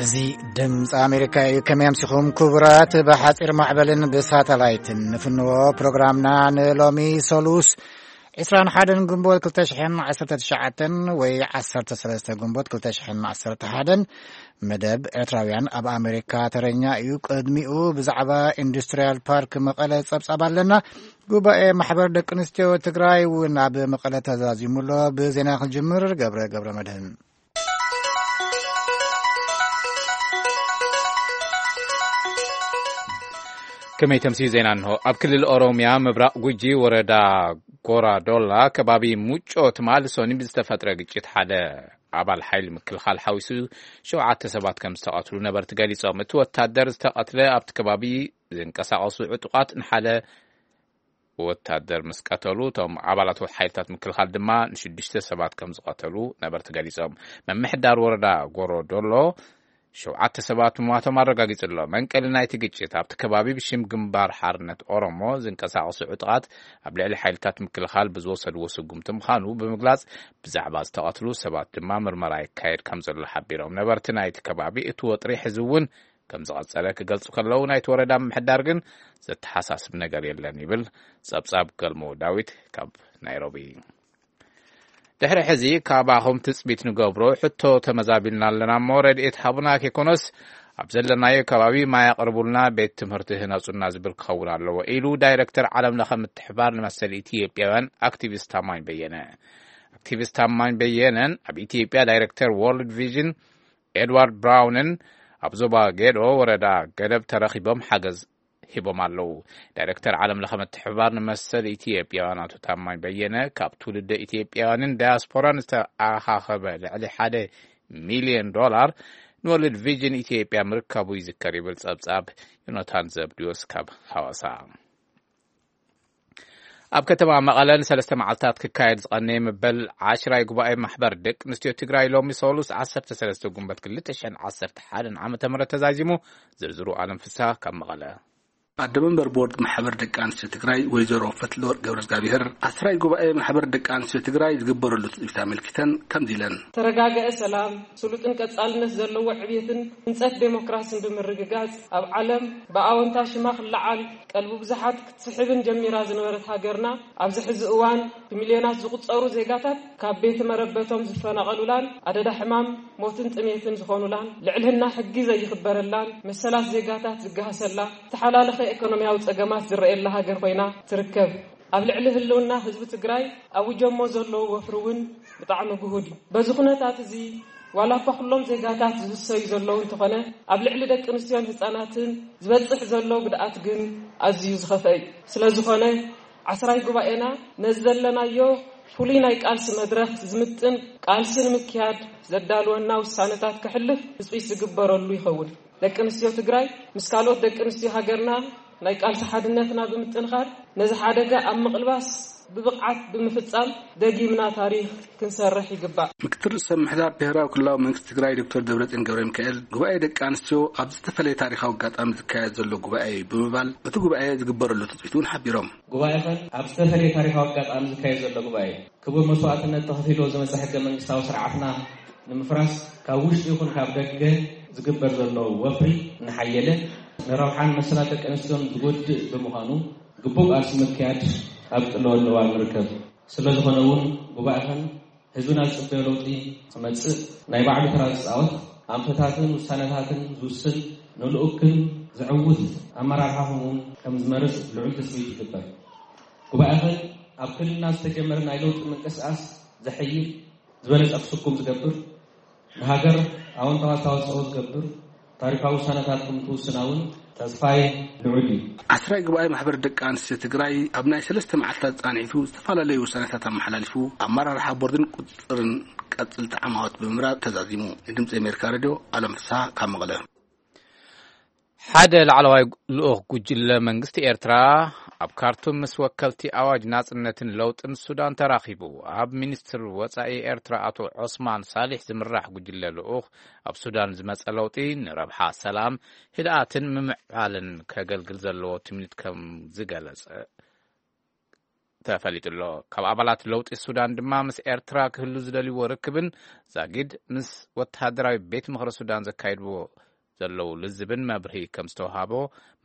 እዚ ድምፂ ኣሜሪካ እዩ። ከመይ ኣምሲኹም ክቡራት? ብሓፂር ማዕበልን ብሳተላይትን ንፍንዎ ፕሮግራምና ንሎሚ ሰሉስ ዕስራን ሓደን ግንቦት ክልተ ሽሕን ዓሰርተ ትሽዓተን ወይ ዓሰርተ ሰለስተ ግንቦት ክልተ ሽሕን ዓሰርተ ሓደን። መደብ ኤርትራውያን ኣብ ኣሜሪካ ተረኛ እዩ። ቅድሚኡ ብዛዕባ ኢንዱስትሪያል ፓርክ መቐለ ጸብጻብ ኣለና። ጉባኤ ማሕበር ደቂ ኣንስትዮ ትግራይ እውን ኣብ መቐለ ተዛዚሙ ኣሎ። ብዜና ክንጅምር፣ ገብረ ገብረ መድህን። ከመይ ተምስዩ ዜና እንሆ። ኣብ ክልል ኦሮምያ ምብራቕ ጉጂ ወረዳ ጎራዶላ ከባቢ ሙጮ ትማል ሶኒ ብዝተፈጥረ ግጭት ሓደ ኣባል ሓይሊ ምክልኻል ሓዊሱ ሸውዓተ ሰባት ከም ዝተቐትሉ ነበርቲ ገሊጾም። እቲ ወታደር ዝተቐትለ ኣብቲ ከባቢ ዝንቀሳቐሱ ዕጡቓት ንሓደ ወታደር ምስ ቀተሉ፣ እቶም ኣባላት ሓይልታት ምክልኻል ድማ ንሽዱሽተ ሰባት ከም ዝቐተሉ ነበርቲ ገሊጾም። ምምሕዳር ወረዳ ጎሮዶሎ ሸውዓተ ሰባት ምሟቶም ኣረጋጊጹ ኣሎ። መንቀሊ ናይቲ ግጭት ኣብቲ ከባቢ ብሽም ግንባር ሓርነት ኦሮሞ ዝንቀሳቐሱ ዕጡቓት ኣብ ልዕሊ ሓይልታት ምክልኻል ብዝወሰድዎ ስጉምቲ ምዃኑ ብምግላጽ፣ ብዛዕባ ዝተቐትሉ ሰባት ድማ ምርመራ ይካየድ ከም ዘሎ ሓቢሮም። ነበርቲ ናይቲ ከባቢ እቲ ወጥሪ ሕዚ እውን ከም ዝቐጸለ ክገልጹ ከለዉ፣ ናይቲ ወረዳ ምምሕዳር ግን ዘተሓሳስብ ነገር የለን ይብል። ጸብጻብ ገልሞ ዳዊት ካብ ናይሮቢ። ድሕሪ ሕዚ ካባኹም ትጽቢት ንገብሮ ሕቶ ተመዛቢልና ኣለና እሞ፣ ረድኤት ሃቡና ከይኮነስ ኣብ ዘለናዮ ከባቢ ማይ ኣቕርቡልና፣ ቤት ትምህርቲ ህነጹና ዝብል ክኸውን ኣለዎ ኢሉ ዳይረክተር ዓለም ለኸ ምትሕባር ንመሰል ኢትዮጵያውያን ኣክቲቪስት ታማኝ በየነ። ኣክቲቪስት ታማኝ በየነን ኣብ ኢትዮጵያ ዳይረክተር ወርልድ ቪዥን ኤድዋርድ ብራውንን ኣብ ዞባ ጌዶ ወረዳ ገደብ ተረኺቦም ሓገዝ ሂቦም ኣለዉ። ዳይረክተር ዓለም ለኸ ምትሕብባር ንመሰል ኢትዮጵያውያን ኣቶ ታማኝ በየነ፣ ካብ ትውልደ ኢትዮጵያውያንን ዳያስፖራን ዝተኣኻኸበ ልዕሊ ሓደ ሚልዮን ዶላር ንወርልድ ቪዥን ኢትዮጵያ ምርካቡ ይዝከር ይብል ጸብጻብ ዮናታን ዘብድዮስ ካብ ሃዋሳ። ኣብ ከተማ መቐለ ንሰለስተ መዓልታት ክካየድ ዝቐነየ መበል ዓሽራይ ጉባኤ ማሕበር ደቂ ኣንስትዮ ትግራይ ሎሚ ሰሉስ ዓሰርተ ሰለስተ ጉንበት ክልተ ሽሕን ዓሰርተ ሓደን ዓመተ ምህረት ተዛዚሙ። ዝርዝሩ ኣለም ፍስሃ ካብ መቐለ። ኣደ መንበር ቦርድ ማሕበር ደቂ ኣንስትዮ ትግራይ ወይዘሮ ፈትለወርቅ ገብረ እግዚኣብሔር፣ ዓስራይ ጉባኤ ማሕበር ደቂ ኣንስትዮ ትግራይ ዝግበረሉ ትጽቢት ኣመልኪተን ከምዚ ኢለን። ተረጋገአ ሰላም፣ ስሉጥን ቀጻልነት ዘለዎ ዕብየትን ህንጸት ዴሞክራሲን ብምርግጋጽ፣ ኣብ ዓለም ብኣወንታ ሽማ ክለዓል ቀልቢ ብዙሓት ክትስሕብን ጀሚራ ዝነበረት ሃገርና፣ ኣብዚ ሕዚ እዋን ብሚልዮናት ዝቑጸሩ ዜጋታት ካብ ቤት መረበቶም ዝፈናቐሉላን ኣደዳ ሕማም፣ ሞትን ጥሜትን ዝኾኑላን፣ ልዕልና ሕጊ ዘይኽበረላን፣ መሰላት ዜጋታት ዝገሃሰላ፣ ዝተሓላለኸ ኢኮኖሚያዊ ጸገማት ዝረኣየላ ሃገር ኮይና ትርከብ። ኣብ ልዕሊ ህልውና ህዝቢ ትግራይ ኣውጀሞ ዘለዉ ወፍሪ እውን ብጣዕሚ ግሁድ እዩ። በዚ ኩነታት እዚ፣ ዋላ እኳ ኩሎም ዜጋታት ዝህሰዩ ዘለዉ እንተኾነ፣ ኣብ ልዕሊ ደቂ ኣንስትዮን ህፃናትን ዝበፅሕ ዘሎ ጉድኣት ግን ኣዝዩ ዝኸፍአ እዩ። ስለ ዝኾነ፣ ዓስራይ ጉባኤና ነዚ ዘለናዮ ፍሉይ ናይ ቃልሲ መድረኽ ዝምጥን ቃልሲ ንምክያድ ዘዳልወና ውሳነታት ከሕልፍ ትፅቢት ዝግበረሉ ይኸውን። ደቂ ኣንስትዮ ትግራይ ምስ ካልኦት ደቂ ኣንስትዮ ሃገርና ናይ ቃልሲ ሓድነትና ብምጥንኻር፣ ነዚ ሓደጋ ኣብ ምቕልባስ ብብቕዓት ብምፍጻም ደጊምና ታሪኽ ክንሰርሕ ይግባእ። ምክትል ርእሰ ምምሕዳር ብሄራዊ ክልላዊ መንግስቲ ትግራይ ዶክተር ደብረጽዮን ገብረ ሚካኤል፣ ጉባኤ ደቂ ኣንስትዮ ኣብ ዝተፈለየ ታሪኻዊ ኣጋጣሚ ዝካየድ ዘሎ ጉባኤ እዩ ብምባል፣ እቲ ጉባኤ ዝግበረሉ ትጽቢት እውን ሓቢሮም። ጉባኤ ኸን ኣብ ዝተፈለየ ታሪኻዊ ኣጋጣሚ ዝካየድ ዘሎ ጉባኤ እዩ። ክቡር መስዋእትነት ተኸፊልዎ ዝመጸ ሕገ መንግስታዊ ስርዓትና ንምፍራስ ካብ ውሽጢ ይኹን ካብ ደገ ዝግበር ዘሎ ወፍሪ እናሓየለ፣ ንረብሓን መሰላት ደቂ ኣንስትዮን ዝጎድእ ብምዃኑ፣ ግቡእ ቃልሲ ምክያድ ኣብ ቀለወሉ እዋን ንርከብ። ስለ ዝኾነ እውን፣ ጉባኤኸን ህዝብና ዝጽበዮ ለውጢ ክመጽእ ናይ ባዕሉ ተራ ዝጻወት፣ ኣንፈታትን ውሳነታትን ዝውስን፣ ንልኡክን ዘዕውት ኣመራርሓ ከምኡውን ከም ዝመርጽ ልዑል ትጽቢት ይግበር። ጉባኤኸን ኣብ ክልልና ዝተጀመረ ናይ ለውጢ ምንቅስቃስ ዘሐይል፣ ዝበለጸ ክስኩም ዝገብር፣ ንሃገር ኣወንታዊ ኣስተዋጽኦ ዝገብር ታሪኻዊ ውሳነታት ከም ትውስና እውን ተስፋይ ልዑል እዩ። ዓስራይ ጉባኤ ማሕበር ደቂ ኣንስትዮ ትግራይ ኣብ ናይ ሰለስተ መዓልታት ጻንሒቱ ዝተፈላለዩ ውሳነታት ኣመሓላሊፉ፣ ኣመራርሓ ቦርድን ቁጽጽርን ቀጽልቲ ዓማውት ብምምራጽ ተዛዚሙ። ንድምፂ ኣሜሪካ ሬድዮ ኣለም ፍስሓ ካብ መቐለ። ሓደ ላዕለዋይ ልኡኽ ጉጅለ መንግስቲ ኤርትራ ኣብ ካርቱም ምስ ወከልቲ ኣዋጅ ናጽነትን ለውጥን ሱዳን ተራኺቡ። ኣብ ሚኒስትር ወጻኢ ኤርትራ ኣቶ ዖስማን ሳሊሕ ዝምራሕ ጉጅለ ልኡኽ፣ ኣብ ሱዳን ዝመጸ ለውጢ ንረብሓ ሰላም፣ ህድኣትን ምምዕባልን ከገልግል ዘለዎ ትምኒት ከም ዝገለጸ ተፈሊጡ ኣሎ። ካብ ኣባላት ለውጢ ሱዳን ድማ ምስ ኤርትራ ክህሉ ዝደልይዎ ርክብን ዛጊድ ምስ ወተሃደራዊ ቤት ምኽሪ ሱዳን ዘካይድዎ ዘለዉ ልዝብን መብርሂ ከም ዝተውሃቦ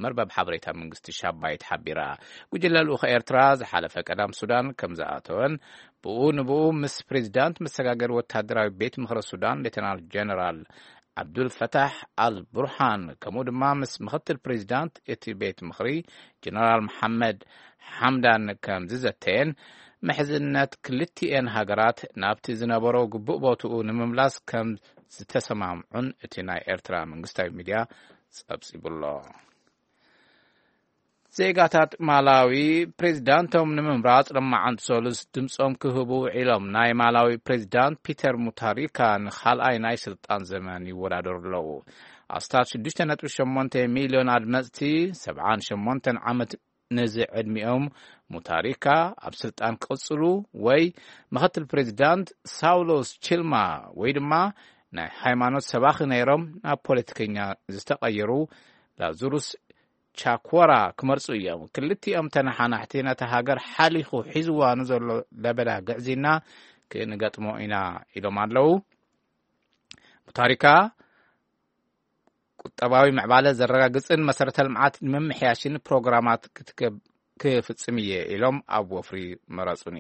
መርበብ ሓበሬታ መንግስቲ ሻባይት ሓቢራ። ጉጅለ ልኡኽ ኤርትራ ዝሓለፈ ቀዳም ሱዳን ከም ዝኣተወን ብኡ ንብኡ ምስ ፕሬዚዳንት መሰጋገሪ ወተሃደራዊ ቤት ምኽሪ ሱዳን ሌተናል ጀነራል ዓብዱል ፈታሕ ኣል ቡርሃን ከምኡ ድማ ምስ ምኽትል ፕሬዚዳንት እቲ ቤት ምኽሪ ጀነራል መሓመድ ሓምዳን ከም ዝዘተየን ምሕዝነት ክልቲኤን ሃገራት ናብቲ ዝነበሮ ግቡእ ቦትኡ ንምምላስ ከም ዝተሰማምዑን እቲ ናይ ኤርትራ መንግስታዊ ሚድያ ጸብጺቡ ኣሎ። ዜጋታት ማላዊ ፕሬዚዳንቶም ንምምራጽ ሎማዓንቲ ሰሉስ ድምጾም ክህቡ ውዒሎም። ናይ ማላዊ ፕሬዚዳንት ፒተር ሙታሪካ ንኻልኣይ ናይ ስልጣን ዘመን ይወዳደሩ ኣለዉ። ኣስታት ሽዱሽተ ነጥቢ ሸሞንተ ሚልዮን ኣድመጽቲ፣ ሰብዓን ሸሞንተን ዓመት ነዚ ዕድሚኦም፣ ሙታሪካ ኣብ ስልጣን ክቕጽሉ ወይ ምኽትል ፕሬዚዳንት ሳውሎስ ቺልማ ወይ ድማ ናይ ሃይማኖት ሰባኺ ነይሮም ናብ ፖለቲከኛ ዝተቐየሩ ላዙሩስ ቻኮራ ክመርጹ እዮም። ክልቲኦም ተነሓናሕቲ ነታ ሃገር ሓሊኹ ሒዝዋ ንዘሎ ለበዳ ግዕዝይና ክንገጥሞ ኢና ኢሎም ኣለዉ። ሙታሪካ ቁጠባዊ ምዕባለ ዘረጋግጽን መሰረተ ልምዓት ንምምሕያሽን ፕሮግራማት ክትገብ-፣ ክፍጽም እየ ኢሎም ኣብ ወፍሪ መረጹኒ።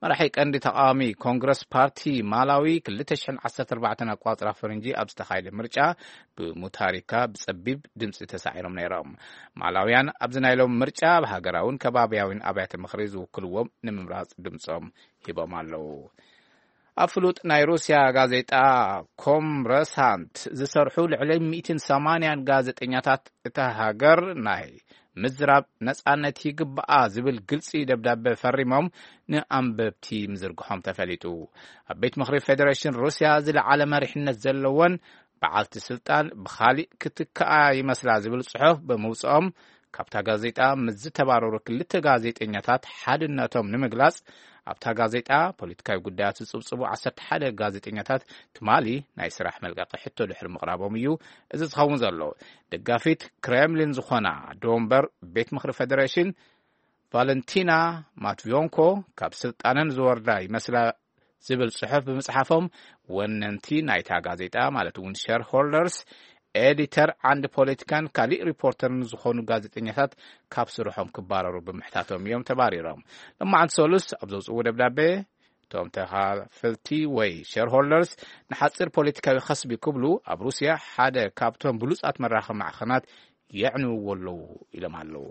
መራሒ ቀንዲ ተቃዋሚ ኮንግረስ ፓርቲ ማላዊ ክልተ ሽሕን ዓሰርተ ኣርባዕተን ኣቋጽራ ፈረንጂ ኣብ ዝተኻየደ ምርጫ ብሙታሪካ ብጸቢብ ድምጺ ተሳዒሮም ነይሮም። ማላውያን ኣብዚ ናይ ሎም ምርጫ ኣብ ሃገራውን ከባብያውን ኣብያተ ምኽሪ ዝውክልዎም ንምምራጽ ድምጾም ሂቦም ኣለዉ። ኣብ ፍሉጥ ናይ ሩስያ ጋዜጣ ኮምረሳንት ዝሰርሑ ልዕሊ ሚእትን ሰማንያን ጋዜጠኛታት እታ ሃገር ናይ ምዝራብ ነጻነት ይግባኣ ዝብል ግልጺ ደብዳበ ፈሪሞም ንኣንበብቲ ምዝርግሖም ተፈሊጡ። ኣብ ቤት ምኽሪ ፌደሬሽን ሩስያ ዝለዓለ መሪሕነት ዘለወን በዓልቲ ስልጣን ብኻሊእ ክትከኣ ይመስላ ዝብል ጽሑፍ ብምውጽኦም፣ ካብታ ጋዜጣ ምስ ዝተባረሩ ክልተ ጋዜጠኛታት ሓድነቶም ንምግላጽ፣ ኣብታ ጋዜጣ ፖለቲካዊ ጉዳያት ዝጽብጽቡ ዓሰርተ ሓደ ጋዜጠኛታት ትማሊ ናይ ስራሕ መልቀቂ ሕቶ ድሕሪ ምቕራቦም እዩ እዚ ዝኸውን ዘሎ። ደጋፊት ክሬምሊን ዝኾና ዶንበር ቤት ምኽሪ ፌደሬሽን ቫለንቲና ማትቪዮንኮ ካብ ስልጣነን ዝወርዳ ይመስላ ዝብል ጽሑፍ ብምጽሓፎም፣ ወነንቲ ናይታ ጋዜጣ ማለት እውን ሸርሆልደርስ፣ ኤዲተር፣ ዓንዲ ፖለቲካን ካሊእ ሪፖርተርን ዝኾኑ ጋዜጠኛታት ካብ ስርሖም ክባረሩ ብምሕታቶም እዮም ተባሪሮም። ሎማዓንቲ ሰሉስ ኣብ ዘውፅእዎ ደብዳቤ፣ እቶም ተኻፈልቲ ወይ ሸርሆልደርስ ንሓፂር ፖለቲካዊ ከስቢ ክብሉ ኣብ ሩስያ ሓደ ካብቶም ብሉፃት መራኸቢ ማዕኸናት የዕንውዎ ኣለዉ ኢሎም ኣለዉ።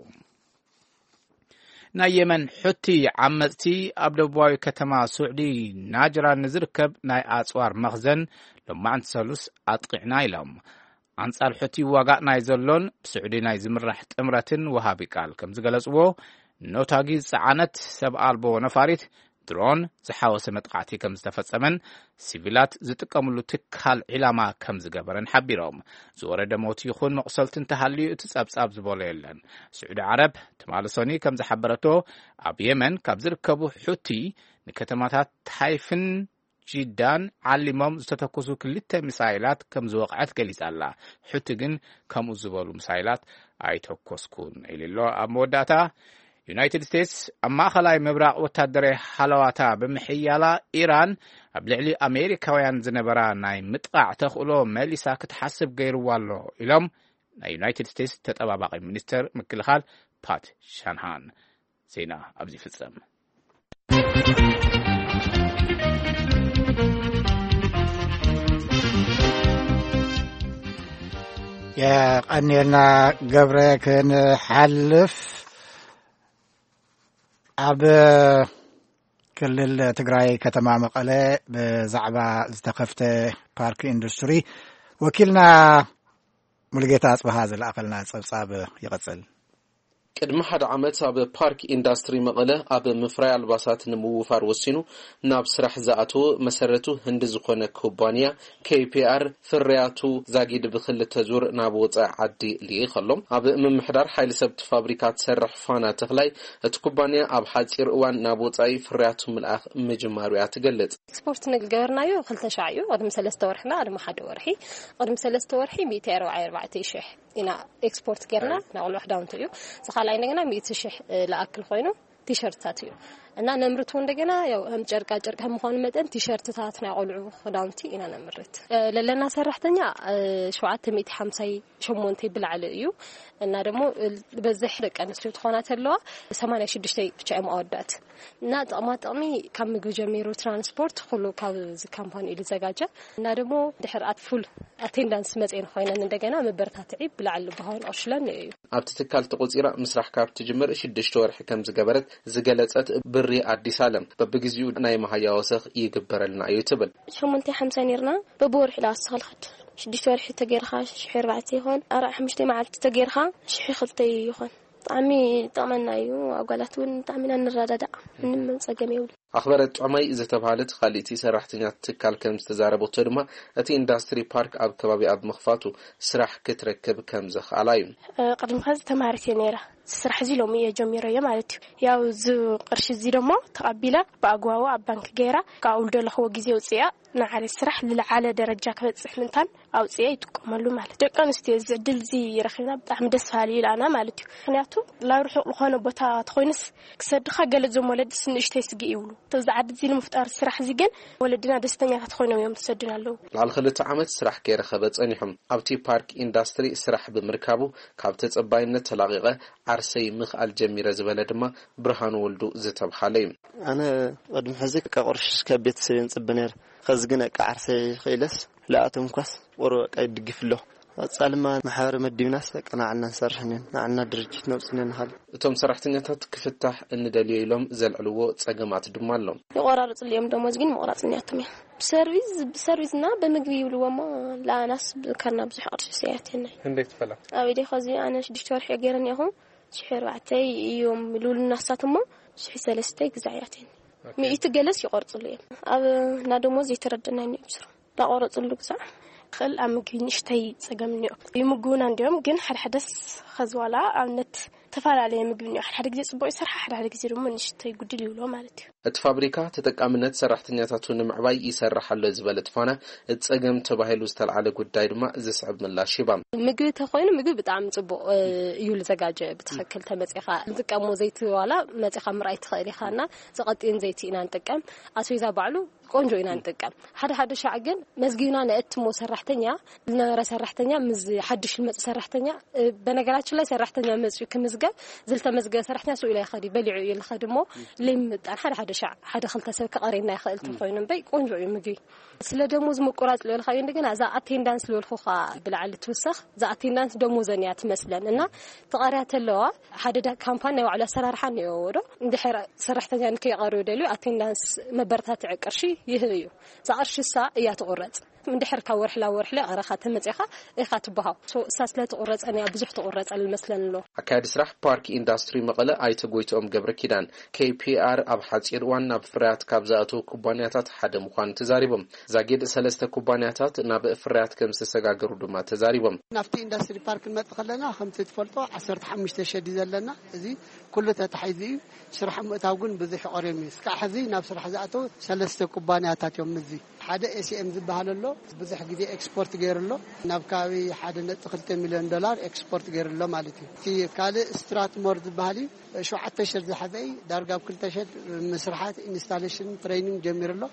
ናይ የመን ሑቲ ዓመጽቲ ኣብ ደቡባዊ ከተማ ስዑዲ ናጅራን ንዝርከብ ናይ ኣጽዋር መኽዘን ሎማዕንቲ ሰሉስ ኣጥቂዕና ኢሎም። ኣንጻር ሑቲ ዋጋእ ናይ ዘሎን ብስዑዲ ናይ ዝምራሕ ጥምረትን ወሃቢ ቃል ከም ዝገለጽዎ፣ ኖታጊ ዝጸዓነት ሰብ ኣልቦ ነፋሪት ድሮን ዝሓወሰ መጥቃዕቲ ከም ዝተፈጸመን ሲቪላት ዝጥቀምሉ ትካል ዒላማ ከም ዝገበረን ሓቢሮም። ዝወረደ ሞት ይኹን መቑሰልቲ እንተሃልዩ እቲ ጸብጻብ ዝበሎ የለን። ስዑዲ ዓረብ ትማሊ ሰኒ ከም ዝሓበረቶ፣ ኣብ የመን ካብ ዝርከቡ ሑቲ ንከተማታት ታይፍን ጂዳን ዓሊሞም ዝተተኮሱ ክልተ ሚሳይላት ከም ዝወቕዐት ገሊጻ ኣላ። ሑቲ ግን ከምኡ ዝበሉ ሚሳይላት ኣይተኮስኩን ኢሉ ኣሎ። ኣብ መወዳእታ፣ ዩናይትድ ስቴትስ ኣብ ማእኸላይ ምብራቕ ወታደራዊ ሃለዋታ ብምሕያላ፣ ኢራን ኣብ ልዕሊ ኣሜሪካውያን ዝነበራ ናይ ምጥቓዕ ተኽእሎ መሊሳ ክትሓስብ ገይርዋ ኣሎ ኢሎም ናይ ዩናይትድ ስቴትስ ተጠባባቒ ሚኒስተር ምክልኻል ፓት ሻንሃን። ዜና ኣብዚ ይፍጸም። የቐንየልና ገብረ። ክንሓልፍ፣ ኣብ ክልል ትግራይ ከተማ መቐለ ብዛዕባ ዝተኸፍተ ፓርክ ኢንዱስትሪ ወኪልና ሙሉጌታ ኣጽብሃ ዝለኣኸልና ጸብጻብ ይቐጽል። ቅድሚ ሓደ ዓመት ኣብ ፓርክ ኢንዳስትሪ መቐለ ኣብ ምፍራይ ኣልባሳት ንምውፋር ወሲኑ ናብ ስራሕ ዝኣተወ መሰረቱ ህንዲ ዝኾነ ኩባንያ ኬ ፒ ኣር ፍርያቱ ዛጊድ ብክልተ ዙር ናብ ወፃኢ ዓዲ ልኢኽ ኣሎ። ኣብ ምምሕዳር ሓይሊ ሰብቲ ፋብሪካ ትሰርሕ ፋና ተኽላይ፣ እቲ ኩባንያ ኣብ ሓፂር እዋን ናብ ወፃኢ ፍርያቱ ምልኣኽ ምጅማሩ እያ ትገልፅ። ኤክስፖርት ንገበርናዮ ክልተ ሻዕ እዩ። ቅድሚ ሰለስተ ወርሒ፣ ቅድሚ ሓደ ወርሒ፣ ቅድሚ ሰለስተ ወርሒ ሚእቲ ኣርባዓን ኣርባዕተን ሽሕ ኢና ኤክስፖርት ጌርና። ናይ ቆልዑ ክዳውንቲ እዩ። እዚ ካልኣይ እንደገና ሚእቲ ሽሕ፣ እ፣ ለኣክል ኮይኑ ቲሸርትታት እዩ። እና ነምርት እንደገና ያው ከም ጨርቃ ጨርቅ ከም ምዃኑ መጠን ቲሸርትታት ናይ ቆልዑ ክዳውንቲ ኢና ነምርት። ለለና ሰራሕተኛ ሸውዓተ ሚእቲ ሓምሳ ሸሞንተ ብላዕሊ እዩ። እና ደግሞ በዝሕ ደቂ ኣንስትዮ ትኾና ተለዋ ሰማንያ ሽዱሽተ ብቻ እዮም ኣወዳት። እና ጥቕማ ጥቕሚ ካብ ምግቢ ጀሚሩ ትራንስፖርት ኩሉ ካብ እዚ ካምፓኒ እዩ ዝዘጋጀ። እና ደግሞ ድሕር ኣት ፉል ኣቴንዳንስ መፅኤን ኮይነን እንደገና መበረታትዒ ብላዕሊ ብሃውን ኣሽለን እዩ። ኣብቲ ትካል ተቆፂራ ምስራሕ ካብ ትጅምር ሽዱሽተ ወርሒ ከም ዝገበረት ዝገለጸት ብሪ ኣዲስ ኣለም፣ በብግዚኡ ናይ መሃያ ወሰኽ ይግበረልና እዩ ትብል። ሸሞንተ ሓምሳ ነርና። በብወርሒ ዳስ ተኸልኸድ ሽዱሽተ ወርሒ ተገይርካ ሽሕ ኣርባዕተ ይኾን ኣርዓ ሓሙሽተ መዓልቲ ተገይርካ ሽሕ ክልተ ይኾን። ብጣዕሚ ጠቕመና እዩ። ኣጓላት እውን ብጣዕሚ ኢና ንረዳዳእ። ምንም ጸገም የብሉ። ኣኽበረት ጮማይ ዝተባህለት ካልእቲ ሰራሕተኛ ትካል ከም ዝተዛረበቶ ድማ፣ እቲ ኢንዳስትሪ ፓርክ ኣብ ከባቢ ኣብ ምኽፋቱ ስራሕ ክትረክብ ከም ዘኽኣላ እዩ። ቅድሚ ከዚ ተማሪት እየ ነይራ። ስራሕ እዚ ሎሚ እየ ጀሚረዮ ማለት እዩ። ያው እዚ ቅርሺ እዚ ደሞ ተቐቢላ ብኣግባቡ ኣብ ባንክ ገይራ ካብ ውልዶ ለኽዎ ግዜ ውፅያ ንዓለ ስራሕ ዝለዓለ ደረጃ ክበፅሕ ምንታን ኣውፅያ ይጥቀመሉ ማለት። ደቂ ኣንስትዮ እዚ ዕድል እዚ ረኺብና ብጣዕሚ ደስ በሃሊ እዩ ኢላና ማለት እዩ። ምክንያቱ ናብ ርሑቕ ዝኾነ ቦታ ተኾይኑስ ክሰድኻ ገለ ዞም ወለድስ ንእሽተይ ስግእ ይብሉ። እዚ ዓዲ እዚ ንምፍጣር ስራሕ እዚ ግን ወለድና ደስተኛታት ኮይኖም እዮም ዝሰዱና ኣለዉ። ልዕሊ ክልተ ዓመት ስራሕ ከይረኸበ ጸኒሑ ኣብቲ ፓርክ ኢንዳስትሪ ስራሕ ብምርካቡ ካብ ተጸባይነት ተላቒቐ ዓርሰይ ምኽኣል ጀሚረ ዝበለ ድማ ብርሃኑ ወልዱ ዝተብሃለ እዩ። ኣነ ቅድሚ ሕዚ ካብ ቁርሽ ካብ ቤተሰብ ንጽበ ነይረ። ከዚ ግን በቃ ዓርሰይ ክኢለስ ልኣቶም ኳስ ቁሩብ በቃ ይድግፍ ኣሎ። ቀጻልማ ማሕበር መዲብናስ በቃ ንዓልና ንሰርሕ ነን፣ ንዓልና ድርጅት ነውጽ ነን ንኻል። እቶም ሰራሕተኛታት ክፍታሕ እንደልዮ ኢሎም ዘልዕልዎ ጸገማት ድማ ኣሎ። ይቆራርጽሉ እዮም፣ ደሞዝ ግን ምቑራጽ እኒኣቶም እያ። ብሰርቪስ፣ ብሰርቪስና ብምግቢ ይብልዎ እሞ፣ ለኣናስ ብካና ብዙሕ ቅርሺ ሰያት የናይ። እንዴት ፈላ? ኣብ ኢደይ ኸዚ ኣነ ሽዱሽተ ወርሒ ገይረ እኒኣኹ፣ ሽሕ ኣርባዕተ እዮም ልብሉና ንሳት እሞ፣ ሽሕ ሰለስተ ግዛዕ እያትኒ። ሚእቲ ገለስ ይቆርጽሉ እዮም። ኣብ እና ደሞዝ ዘይተረደና እዮም ስሩ። ዳቆረጽሉ ግዛዕ ክእል ኣብ ምግቢ ንእሽተይ ጸገም እኒኦ። ይምግቡና እንዲኦም፣ ግን ሓደ ሓደስ ኸዚ ዋላ ኣብነት ተፈላለየ ምግቢ እኒኦ። ሓደ ሓደ ግዜ ጽቡቕ ይሰርሓ፣ ሓደ ሓደ ግዜ ድማ ንእሽተይ ጉድል ይብሎ ማለት እዩ። እቲ ፋብሪካ ተጠቃምነት ሰራሕተኛታቱ ንምዕባይ ይሰርሕ ኣሎ ዝበለት ፋና፣ እቲ ጸገም ተባሂሉ ዝተልዓለ ጉዳይ ድማ ዝስዕብ ምላሽ ሂባ። ምግቢ ተኾይኑ ምግቢ ብጣዕሚ ጽቡቕ፣ እ፣ እዩ ዝዘጋጀ። ብትኽክል ተመጺኻ ዝጥቀሞ ዘይቲ ዋላ መጺኻ ምርኣይ ትኽእል ኢኻ እና ዝቐጥን ዘይቲ ኢና ንጥቀም። ኣስቤዛ ባዕሉ ቆንጆ ኢና ንጥቀም። ሓደ ሓደ ሻዕ ግን መዝጊብና ነእትሞ ሰራሕተኛ፣ ዝነበረ ሰራሕተኛ ምስ ሓድሽ ዝመጽእ ሰራሕተኛ፣ እ፣ በነገራችን ላይ ሰራሕተኛ መጽኡ ክምዝገብ፣ ዝተመዝገበ ሰራሕተኛ ስኡ ኢላ ይኸዲ፣ በሊዑ እዩ ልኸዲ እሞ፣ ለይምጣን ሓደ ሓደ ሻዕ ሓደ ክልተ ሰብ ክቐሬና ይኽእል ተኾይኑ እምበይ ቆንጆ እዩ ምግቢ። ስለ ደሞዝ ምቁራጽ ልበልካዮ እንደገና እዛ ኣቴንዳንስ ልበልኩኻ ብላዕሊ ትውሰኽ፣ እዛ ኣቴንዳንስ ደሞዘን እያ ትመስለን እና ተቐርያ ተለዋ ሓደ ዳ-፣ ካምፓኒ ናይ ባዕሉ ኣሰራርሓ እኒኦዎ ዶ? እንድሕር ሰራሕተኛ ንከይቐርዩ ደልዩ ኣቴንዳንስ መበረታትዒ ቅርሺ ይህብ እዩ። እዛ ቅርሺ እሳ እያ ትቑረጽ። እንድሕር ካብ ወርሒ ናብ ወርሒ ቀረኻ ተመጺኻ ኢኻ ትበሃው። ሶ እሳ ስለ ትቑረጸን እያ ብዙሕ ትቑረጸል መስለን ኣሎ። ኣካያዲ ስራሕ ፓርክ ኢንዳስትሪ መቐለ ኣይተ ጎይትኦም ገብረ ኪዳን፣ ኬ ፒ ኣር ኣብ ሓጺር እዋን ናብ ፍርያት ካብ ዝኣተዉ ኩባንያታት ሓደ ምዃኑ ተዛሪቦም። ዛጊድ ሰለስተ ኩባንያታት ናብ ፍርያት ከም ዝተሰጋገሩ ድማ ተዛሪቦም። ናብቲ ኢንዳስትሪ ፓርክ ክንመጽእ ከለና ከምቲ ትፈልጦ ዓሰርተ ሓሙሽተ ሸዲ ዘለና፣ እዚ ኩሉ ተታሒዙ እዩ። ስራሕ ምእታው ግን ብዙሕ ይቐርዮም እዩ። እስካዕ ሕዚ ናብ ስራሕ ዝኣተው ሰለስተ ኩባንያታት እዮም። እዚ ሓደ ኤ ሲ ኤም ዝበሃል ኣሎ፣ ብዙሕ ግዜ ኤክስፖርት ገይሩ ኣሎ። ናብ ከባቢ ሓደ ነጥቢ ክልተ ሚልዮን ዶላር ኤክስፖርት ገይሩ ኣሎ ማለት እዩ። እቲ ካልእ ስትራትሞር ዝበሃል እዩ፣ ሸውዓተ ሸድ ዝሓዘ እዩ። ዳርጋ ኣብ ክልተ ሸድ ምስርሓት ኢንስታሌሽን ትሬኒንግ ጀሚሩ ኣሎ።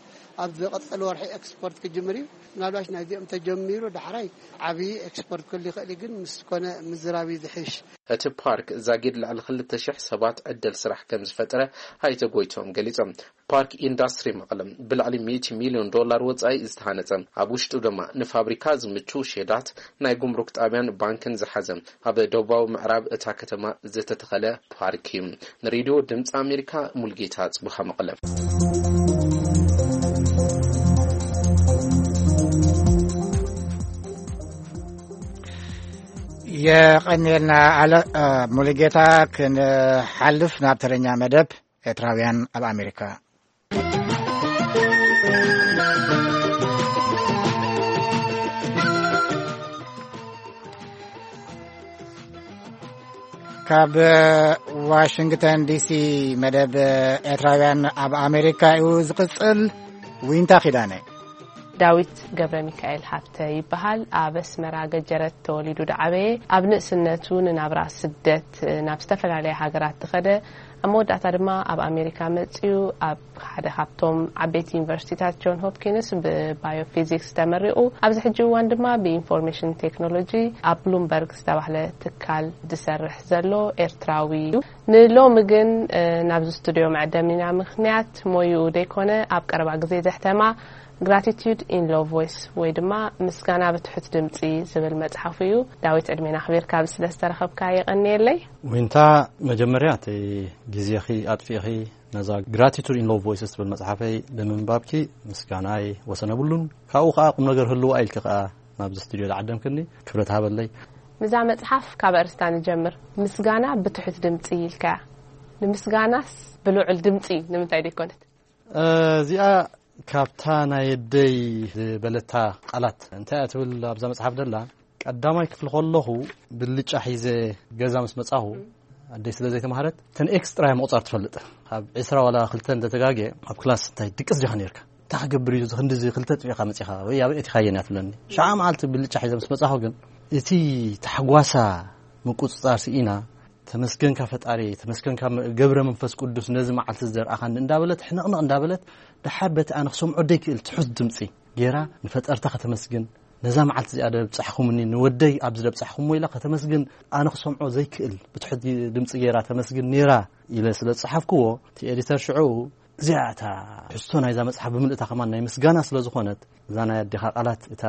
ኣብ ዝቐጸለ ወርሒ ኤክስፖርት ክጅምር እዩ። ምናልባሽ ናይዚኦም ተጀሚሩ ዳሕራይ ዓብዪ ኤክስፖርት ክህሉ ይኽእል እዩ፣ ግን ምስ ኮነ ምዝራብ እዩ ዝሕሽ። እቲ ፓርክ ዛጊድ ልዕሊ ክልተ ሽሕ ሰባት ዕድል ስራሕ ከም ዝፈጠረ ኣይተ ጎይቶም ገሊጾም። ፓርክ ኢንዳስትሪ መቐለ ብልዕሊ ሚእቲ ሚልዮን ዶላር ወጻኢ ዝተሃነጸ፣ ኣብ ውሽጡ ድማ ንፋብሪካ ዝምቹ ሼዳት፣ ናይ ጉምሩክ ጣብያን ባንክን ዝሓዘ፣ ኣብ ደቡባዊ ምዕራብ እታ ከተማ ዝተተኸለ ፓርክ እዩ። ንሬድዮ ድምፂ ኣሜሪካ ሙልጌታ ጽቡሃ መቐለ። የቐንየልና ኣለ-፣ እ፣ ሙሉጌታ። ክንሓልፍ ናብ ተረኛ መደብ ኤርትራውያን ኣብ ኣሜሪካ። ካብ ዋሽንግተን ዲሲ መደብ ኤርትራውያን ኣብ ኣሜሪካ እዩ ዝቕጽል። ዊንታ ኪዳነ። ዳዊት ገብረ ሚካኤል ሃብተ ይበሃል። ኣብ ኣስመራ ገጀረት ተወሊዱ ዝዓበየ፣ ኣብ ንእስነቱ ንናብራ ስደት ናብ ዝተፈላለያ ሃገራት ዝኸደ፣ ኣብ መወዳእታ ድማ ኣብ ኣሜሪካ መጺኡ ኣብ ሓደ ካብቶም ዓበይቲ ዩኒቨርሲቲታት ጆን ሆፕኪንስ ብባዮፊዚክስ ተመሪቑ፣ ኣብዚ ሕጂ እዋን ድማ ብኢንፎርሜሽን ቴክኖሎጂ ኣብ ብሉምበርግ ዝተባህለ ትካል ዝሰርሕ ዘሎ ኤርትራዊ እዩ። ንሎሚ ግን ናብዚ ስቱድዮ መዕደሚና ምኽንያት ሞይኡ ዘይኮነ፣ ኣብ ቀረባ ግዜ ዘሕተማ ግራቲቱድ ኢን ሎ ቮይስ ወይ ድማ ምስጋና ብትሑት ድምፂ ዝብል መፅሓፉ እዩ። ዳዊት፣ ዕድሜና ኣኽቢርካ ኣብዚ ስለ ዝተረኸብካ የቐንየለይ። ዊንታ፣ መጀመርያ እቲ ግዜኺ ኣጥፊእኺ ነዛ ግራቲቱድ ኢን ሎ ቮይስስ ትብል መፅሓፈይ ብምንባብኪ ምስጋናይ ወሰን የብሉን። ካብኡ ከዓ ቁም ነገር ህልዋ ኢልኪ ከዓ ናብዚ ስቱድዮ ዝዓደምክኒ ክብረት ሃበለይ። ምዛ መፅሓፍ ካብ ኣርእስታ ንጀምር። ምስጋና ብትሑት ድምፂ ኢልካያ። ንምስጋናስ ብልዑል ድምፂ ንምንታይ ደይኮነት? እዚኣ ካብታ ናይ ኣደይ ዝበለታ ቃላት እንታይ እያ ትብል ኣብዛ መፅሓፍ ደላ? ቀዳማይ ክፍሊ ከለኹ ብልጫ ሒዘ ገዛ ምስ መጻኹ፣ ኣደይ ስለ ዘይተማህረት እተን ኤክስ ጥራይ ምቑጻር ትፈልጥ። ካብ ዕስራ ዋላ ክልተ እንተተጋግየ ኣብ ክላስ እንታይ ድቅስ ዲኻ ነርካ? እንታይ ክገብር እዩ እዚ ክንድዚ ክልተ ጥፊእካ መጺኻ ወይ ኣበይ ኣቲኻየን እያ ትብለኒ። ሸዓ መዓልቲ ብልጫ ሒዘ ምስ መጻኹ ግን እቲ ታሕጓሳ ምቁጽጻር ስኢና፣ ተመስገንካ ፈጣሪ፣ ተመስገንካ ገብረ መንፈስ ቅዱስ ነዚ መዓልቲ ዘርኣኻኒ እንዳበለት ሕንቕንቕ እንዳበለት፣ ደሓር በቲ ኣነ ክሰምዖ ደይክእል ትሑት ድምፂ ገይራ ንፈጠርታ ከተመስግን፣ ነዛ መዓልቲ እዚኣ ደብፃሕኹምኒ፣ ንወደይ ኣብዚ ደብፃሕኹምዎ ኢላ ከተመስግን፣ ኣነ ክሰምዖ ዘይክእል ብትሑት ድምፂ ገይራ ተመስግን ነይራ ኢለ ስለ ዝፀሓፍክዎ፣ እቲ ኤዲተር ሽዑ እዚኣ እታ ትሕዝቶ ናይዛ መፅሓፍ ብምልእታ ከማን ናይ ምስጋና ስለ ዝኾነት፣ እዛ ናይ ኣዴኻ ቃላት እታ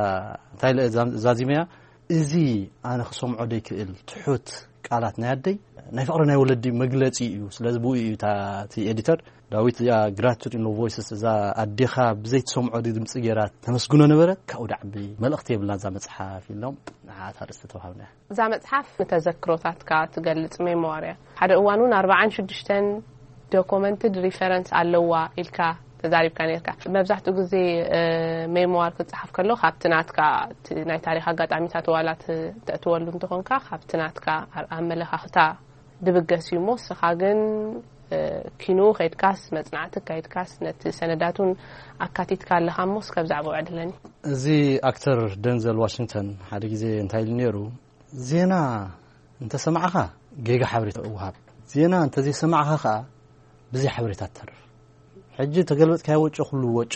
እንታይ ኢለ እዛ- ዛዚመያ፣ እዚ ኣነ ክሰምዖ ደይክእል ትሑት ቃላት ናይ ኣደይ ናይ ፍቕሪ ናይ ወለዲ መግለፂ እዩ። ስለዚ ብኡ እዩ እታ እቲ ኤዲተር ዳዊት እዚኣ ግራቲቱድ ኢን ሎ ቮይስስ እዛ ኣዴኻ ብዘይ ትሰምዖ ድምፂ ገይራ ተመስግኖ ነበረት። ካብኡ ድዓቢ መልእኽቲ የብላን እዛ መፅሓፍ ኢሎም ንዓኣ እታ ርእስቲ ተዋሂብና። እዛ መፅሓፍ ንተዘክሮታትካ ትገልፅ ሜሞዋር እያ። ሓደ እዋን እውን ኣርባዓን ሽዱሽተን ዶኮመንትድ ሪፈረንስ ኣለዋ ኢልካ ተዛሪብካ ነርካ። መብዛሕትኡ ግዜ ሜሞዋር ክፀሓፍ ከሎ ካብቲ ናትካ እቲ ናይ ታሪክ ኣጋጣሚታት ዋላ ተእትወሉ እንተኾንካ ካብቲ ናትካ ኣመለኻኽታ ድብገስ እዩ እሞ፣ ንስኻ ግን ኪኑ ከይድካስ መፅናዕቲ ከይድካስ ነቲ ሰነዳት እውን ኣካቲትካ ኣለኻ እሞ፣ እስከ ብዛዕባኡ ዕድለኒ። እዚ ኣክተር ደንዘል ዋሽንግተን ሓደ ግዜ እንታይ ኢሉ ነይሩ? ዜና እንተሰማዕኻ ጌጋ ሓበሬታ እወሃብ፣ ዜና እንተዘይሰማዕኻ ከዓ ብዘይ ሓበሬታ ትተርፍ። ሕጂ ተገልበጥካዮ ወጮ ኩሉ ወጮ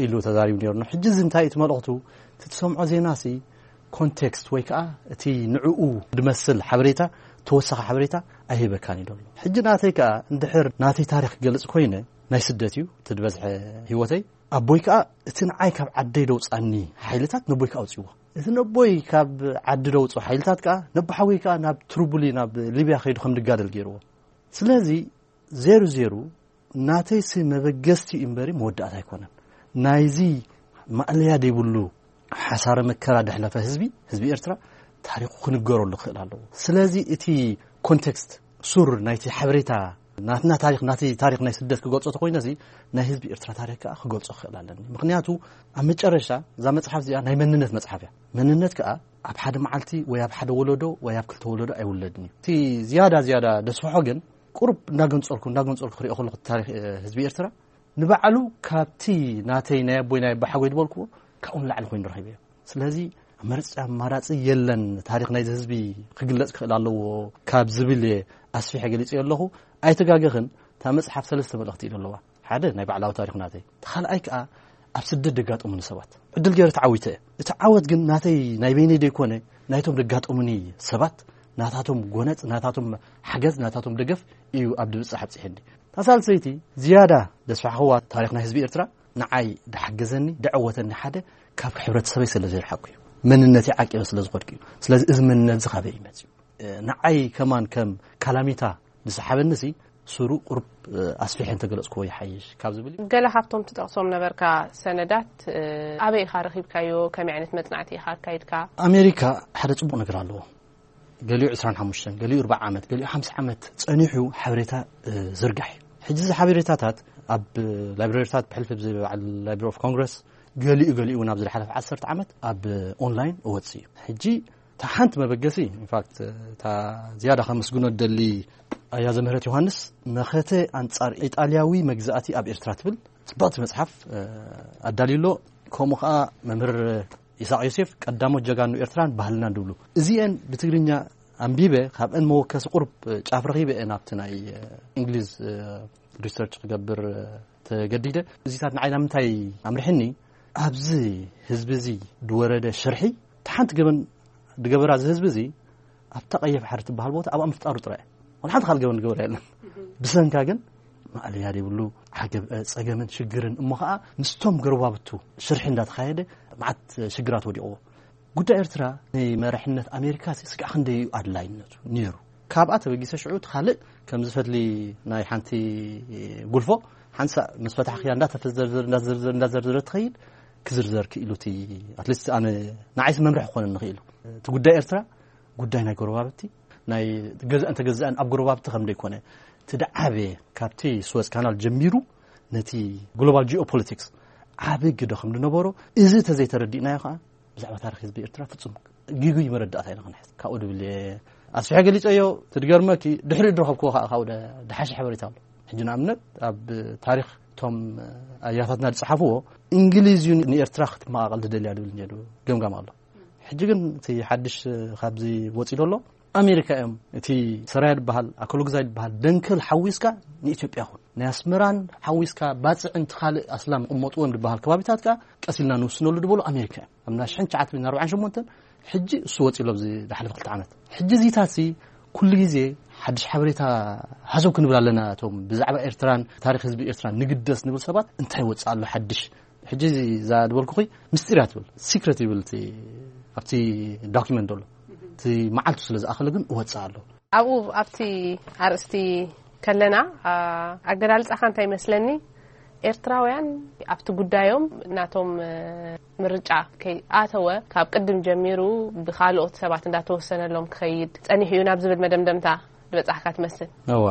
ኢሉ ተዛሪቡ ነይሩ። ሕጂ እዚ እንታይ እቲ መልእኽቱ? እቲ ትሰምዖ ዜና ሲ ኮንቴክስት ወይ ከዓ እቲ ንዕኡ ዝመስል ሓበሬታ፣ ተወሳኺ ሓበሬታ ኣይህበካን እዩ ዘሎ። ሕጂ ናተይ ከዓ እንድሕር ናተይ ታሪክ ክገልፅ ኮይነ ናይ ስደት እዩ እቲ ዝበዝሐ ህይወተይ። ኣቦይ ከዓ እቲ ንዓይ ካብ ዓደይ ደውፃኒ ሓይልታት ነቦይ ከዓ ኣውፅዎ። እቲ ነቦይ ካብ ዓዲ ደውፅኦ ሓይልታት ከዓ ነቦሓወይ ከዓ ናብ ትሩቡሊ ናብ ሊብያ ከይዱ ከም ድጋደል ገይርዎ። ስለዚ ዜሩ ዜሩ ናተይሲ መበገስቲ እዩ እምበሪ መወዳእታ ኣይኮነን። ናይዚ ማእለያ ዘይብሉ ሓሳረ መከራ ደሕለፈ ህዝቢ ህዝቢ ኤርትራ ታሪኩ ክንገረሉ ክኽእል ኣለዎ። ስለዚ እቲ ኮንቴክስት ሱር ናይቲ ሓበሬታ ናትና ታሪክ ናቲ ታሪክ ናይ ስደት ክገልጾ ተኮይነ እዚ ናይ ህዝቢ ኤርትራ ታሪክ ከዓ ክገልጾ ክኽእል ኣለኒ። ምክንያቱ ኣብ መጨረሻ እዛ መጽሓፍ እዚኣ ናይ መንነት መጽሓፍ እያ። መንነት ከዓ ኣብ ሓደ መዓልቲ ወይ ኣብ ሓደ ወለዶ ወይ ኣብ ክልተ ወለዶ ኣይውለድን እዩ። እቲ ዝያዳ ዝያዳ ደስፍሖ ግን ቁሩብ እንዳገንጸልኩ እንዳገንጸልኩ ክሪኦ ከለኩ ታሪክ ህዝቢ ኤርትራ ንባዕሉ ካብቲ ናተይ ናይ ኣቦይ ናይ ኣቦሓጎይ ዝበልክዎ ካብኡ ንላዕሊ ኮይኑ ረኺበዮ። ስለዚ መርፂ ኣማራፂ የለን። ታሪክ ናይዚ ህዝቢ ክግለፅ ክኽእል ኣለዎ ካብ ዝብል እየ ኣስፊሐ ገሊፀ ኣለኹ። ኣይተጋገኽን። እታ መፅሓፍ ሰለስተ መልእኽቲ እዩ ዘለዋ። ሓደ ናይ ባዕላዊ ታሪክ ናተይ፣ እቲ ካልኣይ ከዓ ኣብ ስደት ደጋጠሙኒ ሰባት ዕድል ገይረ ተዓዊተ እየ። እቲ ዓወት ግን ናተይ ናይ በይነይ ደይኮነ ናይቶም ደጋጠሙኒ ሰባት ናታቶም ጎነፅ ናታቶም ሓገዝ ናታቶም ደገፍ እዩ ኣብ ድብፅሕ ኣብፅሐኒ። እታ ሳልሰይቲ ዝያዳ ደስፋሕኽዋ ታሪክ ናይ ህዝቢ ኤርትራ ንዓይ ድሓገዘኒ ድዐወተኒ ሓደ ካብ ሕብረተሰበይ ስለ ዘይርሓቅኩ እዩ። መንነተይ ዓቂበ ስለ ዝኸድኩ እዩ። ስለዚ እዚ መንነት እዚ ካበይ እዩ መፅዩ? ንዓይ ከማን ከም ካላሚታ ዝሰሓበኒ ሲ ሱሩ ቁሩብ ኣስፊሐ እንተገለፅክዎ ይሓይሽ ካብ ዝብል እዩ። ገለ ካብቶም ትጠቕሶም ነበርካ ሰነዳት ኣበይ ኢኻ ረኺብካዮ? ከመይ ዓይነት መፅናዕቲ ኢኻ ኣካይድካ? ኣሜሪካ ሓደ ፅቡቕ ነገር ኣለዎ። ገሊኡ ዕስራን ሓሙሽተን ገሊኡ ኣርባዓ ዓመት ገሊኡ ሓምሳ ዓመት ፀኒሑ ሓበሬታ ዝርጋሕ እዩ። ሕጂ እዚ ሓበሬታታት ኣብ ላይብረሪታት ብሕልፊ ብዚ በዓል ላይብረሪ ኦፍ ኮንግረስ ገሊኡ ገሊኡ እውን ኣብዚ ዝሓለፈ ዓሰርተ ዓመት ኣብ ኦንላይን እወፅእ እዩ። ሕጂ እታ ሓንቲ መበገሲ ኢንፋክት እታ ዝያዳ ከመስግኖ ደሊ ኣያ ዘምህረት ዮሃንስ መኸተ ኣንጻር ኢጣልያዊ መግዛእቲ ኣብ ኤርትራ ትብል ጽብቕቲ መጽሓፍ ኣዳልዩ ኣሎ። ከምኡ ከኣ መምህር ይስሐቅ ዮሴፍ ቀዳሞት ጀጋኑ ኤርትራን ባህልናን ድብሉ እዚኤን ብትግርኛ ኣንቢበ፣ ካብአን መወከሲ ቁሩብ ጫፍ ረኺበ እየ ናብቲ ናይ እንግሊዝ ሪሰርች ክገብር ተገዲደ። እዚታት ንዓይ ናብ ምንታይ ኣምርሕኒ? ኣብዚ ህዝቢ እዚ ዝወረደ ሽርሒ፣ እቲ ሓንቲ ገበን ዝገበራ እዚ ህዝቢ እዚ ኣብታ ቀይሕ ባሕሪ ትበሃል ቦታ ኣብኣ ምፍጣሩ ጥራይ። ወላ ሓንቲ ካልእ ገበን ዝገበረ የለን። ብሰንካ ግን ማእለያ ዘይብሉ ዓገብ ጸገምን ሽግርን፣ እሞ ኸኣ ምስቶም ጎረባብቱ ሽርሒ እንዳተኻየደ መዓት ሽግራት ወዲቕዎ። ጉዳይ ኤርትራ ንመራሕነት ኣሜሪካ ስጋዕ ክንደይ እዩ ኣድላይነቱ ነይሩ። ካብኣ ተበጊሰ ሽዑ እቲ ካልእ ከምዚ ፈትሊ ናይ ሓንቲ ጉልፎ ሓንሳእ ምስ ፈታሕክያ እንዳተዘርዘር እንዳዘርዘር እንዳዘርዘረ ትኸይድ፣ ክዝርዘር ክኢሉ እቲ ኣትሊስት ኣነ ንዓይስ መምርሒ ክኾነ ንኽኢሉ። እቲ ጉዳይ ኤርትራ ጉዳይ ናይ ጎረባብቲ፣ ናይ ገዛእን ተገዛእን ኣብ ጎረባብቲ ከም ደይኮነ፣ እቲ ደዓበየ ካብቲ ስወዝ ካናል ጀሚሩ ነቲ ግሎባል ጂኦፖለቲክስ ዓቢ ግደ ከም ዝነበሮ፣ እዚ ተዘይተረዲእናዮ ከዓ ብዛዕባ ታሪኽ ህዝቢ ኤርትራ ፍጹም ግጉይ መረዳእታ ኢና ክንሕዝ። ካብኡ ድብል እየ ኣስፊሐ ገሊጸዮ። ትድገርመኪ ድሕሪኡ ድረኸብክዎ ከዓ ካብኡ ደ-፣ ደሓሸ ሓበሬታ ኣሎ። ሕጂ ንኣብነት ኣብ ታሪኽ እቶም ኣያታትና ዝጸሓፍዎ፣ እንግሊዝ እዩ ንኤርትራ ክትመቓቐል ዝደልያ ድብል ነይሩ ገምጋም ኣሎ። ሕጂ ግን እቲ ሓድሽ ካብዚ ወጺኡ ዘሎ ኣሜሪካ እዮም። እቲ ሰራያ ዝበሃል ኣኮሎግዛይ ዝበሃል ደንከል ሓዊስካ ንኢትዮጵያ ኹን ናይ ኣስመራን ሓዊስካ ባጽዕን እቲ ካልእ ኣስላም ይቕመጥዎም ዝበሃል ከባቢታት ከኣ ቀስ ኢልና ንውስነሉ ዝበሉ ኣሜሪካ እዮም። ኣብ ናይ ሽሕን ትሽዓተ ሚእትን ኣርባዓን ሸሞንተን ሕጂ እሱ ወጺኡ ኣሎ ኣብዚ ዝሓለፈ ክልተ ዓመት። ሕጂ እዚታት ሲ ኩሉ ግዜ ሓድሽ ሓበሬታ ሃሰው ክንብል ኣለና። እቶም ብዛዕባ ኤርትራን ታሪኽ ህዝቢ ኤርትራን ንግደስ ንብል ሰባት እንታይ ወጽእ ኣሎ ሓድሽ? ሕጂ እዛ ዝበልኩኺ ምስጢር እያ ትብል፣ ሲክሬት ይብል እቲ ኣብቲ ዶኪመንት ዘሎ። እቲ መዓልቱ ስለ ዝኣኸለ ግን እወጽእ ኣሎ። ኣብኡ ኣብቲ ኣርእስቲ ከለና፣ ኣ፣ ኣገላልጻኻ እንታይ ይመስለኒ? ኤርትራውያን ኣብቲ ጉዳዮም ናቶም፣ እ፣ ምርጫ ከይኣተወ ካብ ቅድም ጀሚሩ ብኻልኦት ሰባት እንዳተወሰነሎም ክኸይድ ጸኒሑ እዩ ናብ ዝብል መደምደምታ ዝበጻሕካ ትመስል። እወ፣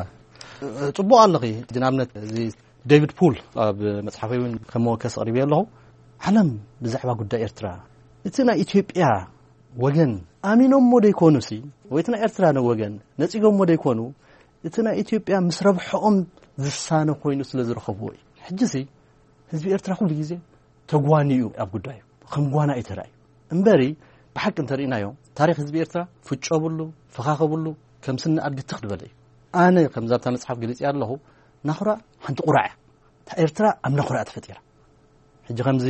ጽቡቕ ኣለኺ። ሕጂ ንኣብነት እዚ ዴቪድ ፑል ኣብ መጽሓፈይ እውን ከም መወከሲ ኣቕሪበዮ ኣለኹ። ዓለም ብዛዕባ ጉዳይ ኤርትራ፣ እቲ ናይ ኢትዮጵያ ወገን ኣሚኖሞ ደይኮኑሲ፣ ወይ እቲ ናይ ኤርትራ ወገን ነጺጎሞ ደይኮኑ፣ እቲ ናይ ኢትዮጵያ ምስ ረብሐኦም ዝሳነ ኮይኑ ስለ ዝረኸብዎ እዩ። ሕጂሲ ህዝቢ ኤርትራ ኩሉ ግዜ ተጓንዩ ኣብ ጉዳዩ፣ ከም ጓና እዩ ተራእዩ። እምበሪ ብሓቂ እንተርኢናዮ፣ ታሪኽ ህዝቢ ኤርትራ ፍጮ ብሉ፣ ፈኻኸ ብሉ፣ ከም ስኒ ኣድጊ ትኽ ዝበለ እዩ። ኣነ ከምዛ ኣብታ መጽሓፍ ገሊጽ ኣለኹ፣ ናኹራ ሓንቲ ቁራዕ እያ። እታ ኤርትራ ኣብ ናኹራ እያ ተፈጢራ። ሕጂ ከምዚ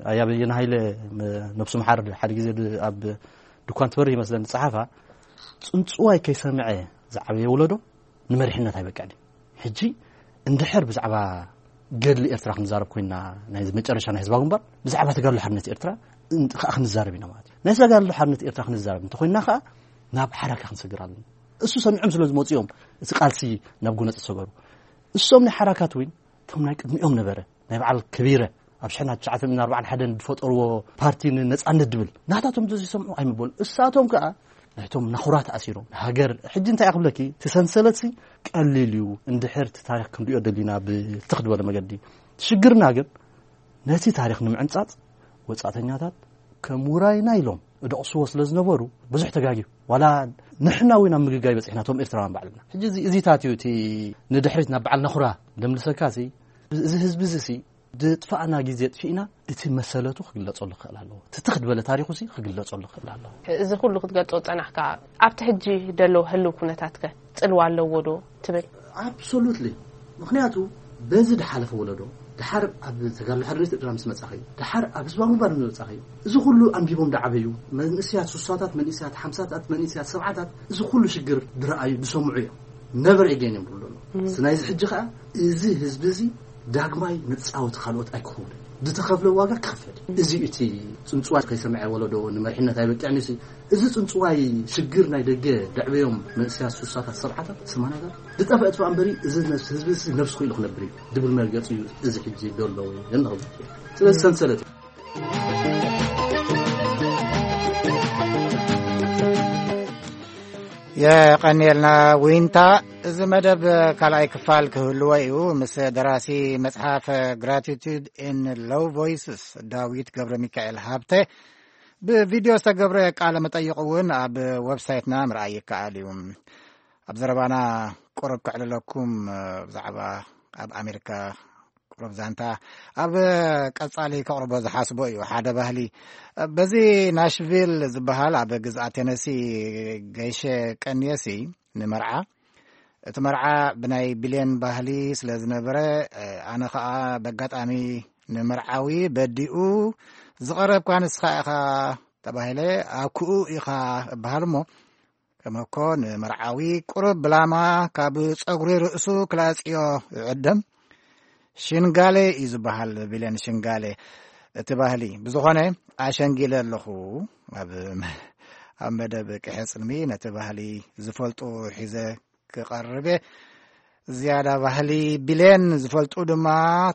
ኣያ በየነ ሃይለ፣ ም-፣ ነብሱ መሓር ሓደ ግዜ ድ-፣ ኣብ ድኳን ትበርህ ይመስለኒ ዝጸሓፋ፣ ጽንጽዋይ ከይሰምዐ ዝዓበየ ወለዶ ንመሪሕነት ኣይበቅዕን እዩ። ሕጂ እንድሕር ብዛዕባ ገድሊ ኤርትራ ክንዛረብ ኮይና፣ ናይ መጨረሻ ናይ ህዝባዊ ግንባር፣ ብዛዕባ ተጋድሎ ሓርነት ኤርትራ እን-፣ ከኣ ክንዛረብ ኢና ማለት እዩ። ናይ ተጋድሎ ሓርነት ኤርትራ ክንዛረብ እንተኮይና ከኣ ናብ ሓራካ ክንሰግር ኣለና። እሱ ሰሚዖም ስለ ዝመጹ እዮም እቲ ቃልሲ ናብ ጎነጽ ዝሰገሩ። እሶም ናይ ሓራካት እውን እቶም ናይ ቅድሚኦም ነበረ። ናይ በዓል ከቢረ ኣብ ሽሕና ትሽዓተ ሚእትን ኣርባዓን ሓደን ዝፈጠርዎ ፓርቲ ንነጻነት ድብል ናታቶም እንተዘይሰምዑ ኣይምበሉ። እሳቶም ከኣ ናይቶም ናኹራ ተኣሲሮም ሃገር። ሕጂ እንታይ እያ ክብለኪ፣ እቲ ሰንሰለትሲ ቀሊል እዩ። እንድሕር እቲ ታሪኽ ክንሪኦ ደሊና ብትኽ ዝበለ መገዲ። ሽግርና ግን ነቲ ታሪኽ ንምዕንጻጽ ወጻእተኛታት ከም ውራይና ኢሎም እደቕስዎ ስለ ዝነበሩ ብዙሕ ተጋግዩ። ዋላ ንሕና እውን ኣብ ምግጋይ በጺሕና፣ እቶም ኤርትራውያን ባዕልና። ሕጂ እዚ፣ እዚታት እዩ እቲ ንድሕሪት ናብ በዓል ናኹራ ደምልሰካሲ፣ እዚ ህዝቢ እዚሲ ድጥፋእና ግዜ ጥፊእና፣ እቲ መሰለቱ ክግለጸሉ ክኽእል ኣለዎ። እቲ ትኽ ዝበለ ታሪኹሲ ክግለጸሉ ክኽእል ኣለዎ። እዚ ኩሉ ክትገልጾ ዝጸናሕካ፣ ኣብቲ ሕጂ ደሎ ህልው ኩነታትከ ጽልዋ ኣለዎ ዶ ትብል? ኣብሶሉትሊ። ምኽንያቱ በዚ ድሓለፈ ወለዶ፣ ድሓር ኣብ ተጋድሎ ሓርነት ኤርትራ ምስ መጻኺ፣ ድሓር ኣብ ህዝባዊ ግንባር ምስ መጻኺ፣ እዚ ኩሉ ኣንቢቦም ድዓበዩ መንእስያት ሱሳታት፣ መንእስያት ሓምሳታት፣ መንእስያት ሰብዓታት፣ እዚ ኩሉ ሽግር ድረኣዩ፣ ድሰምዑ እዮም። ነቨር ኤጌን እዮም ድብሉ ኣለዉ። እም። ስለዚ ናይዚ ሕጂ ኸኣ እዚ ህዝቢ እዚ ዳግማይ መጻወቲ ካልኦት ኣይክኸውን። ዝተኸፍለ ዋጋ ክኽፈል። እዚ እዩ እቲ ጽንጽዋይ ከይሰምዐ ወለዶ ንመሪሕነት ኣይበቅዕን እዩ። እዚ ጽንጽዋይ ሽግር ናይ ደገ ደዕበዮም መንእሰያት ሱሳታት፣ ሰብዓታት፣ ሰማንያታት ዝጠፍአ ጥፋእ እምበሪ፣ እዚ ነፍሲ ህዝቢ እዚ ነፍሲ ክኢሉ ክነብር እዩ ድብል መርገጺ እዩ እዚ ሕጂ ዘሎ ወይ እንኸውን። ስለዚ ሰንሰለት እዩ። የቐንየልና ዊንታ። እዚ መደብ ካልኣይ ክፋል ክህልዎ እዩ። ምስ ደራሲ መጽሓፍ ግራቲቱድ ኢን ሎው ቮይስስ ዳዊት ገብረ ሚካኤል ሃብተ ብቪድዮ ዝተገብረ ቃለ መጠይቕ እውን ኣብ ዌብሳይትና ምርኣይ ይከኣል እዩ። ኣብ ዘረባና ቁሩብ ከዕልለኩም፣ ብዛዕባ ኣብ ኣሜሪካ ሮብ ዛንታ ኣብ ቀጻሊ ከቕርቦ ዝሓስቦ እዩ። ሓደ ባህሊ በዚ ናሽቪል ዝበሃል ኣብ ግዝኣት ቴነሲ ገይሸ ቀንየሲ ንመርዓ፣ እቲ መርዓ ብናይ ቢልየን ባህሊ ስለ ዝነበረ፣ ኣነ ኸኣ በጋጣሚ ንመርዓዊ በዲኡ ዝቐረብካ ንስኻ ኢኻ ተባሂለ፣ ኣኩኡ ኢኻ እበሃል እሞ፣ ከመኮ ንመርዓዊ ቁሩብ ብላማ ካብ ጸጉሪ ርእሱ ክላጽዮ ይዕደም። ሽንጋሌ እዩ ዝበሃል፣ ቢልየን ሽንጋሌ እቲ ባህሊ። ብዝኾነ ኣሸንጊለ ኣለኹ። ኣብ፣ ኣብ መደብ ቅሐ ጽልሚ ነቲ ባህሊ ዝፈልጡ ሒዘ ክቐርብ እየ። ዝያዳ ባህሊ ቢልየን ዝፈልጡ ድማ